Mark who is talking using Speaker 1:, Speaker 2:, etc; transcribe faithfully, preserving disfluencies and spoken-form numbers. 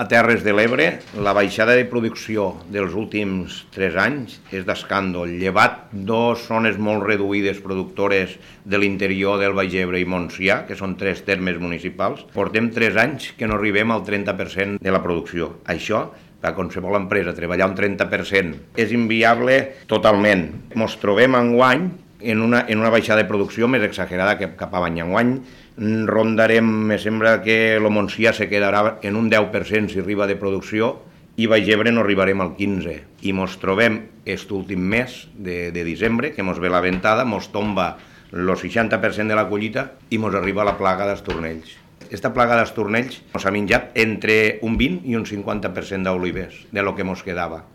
Speaker 1: a Terres de l'Ebre, la baixada de producció dels últims tres anys és d'escàndol. Llevat dos zones molt reduïdes productores de l'interior del Baix Ebre i Montsià, que són tres termes municipals, portem tres anys que no arribem al trenta per cent de la producció. Això, per a qualsevol empresa, treballar un trenta per cent és inviable totalment. Ens trobem enguany en una, en una baixada de producció més exagerada que cap a l'any. Enguany rondarem, me sembla que el Montsià se quedarà en un deu per cent si arriba de producció i Baix Ebre no arribarem al quinze per cent. I ens trobem aquest últim mes de, de desembre, que ens ve la ventada, ens tomba el seixanta per cent de la collita i ens arriba la plaga d'estornells. Aquesta plaga d'estornells ens ha menjat entre un vint i un cinquanta per cent d'olivers, de lo que ens quedava.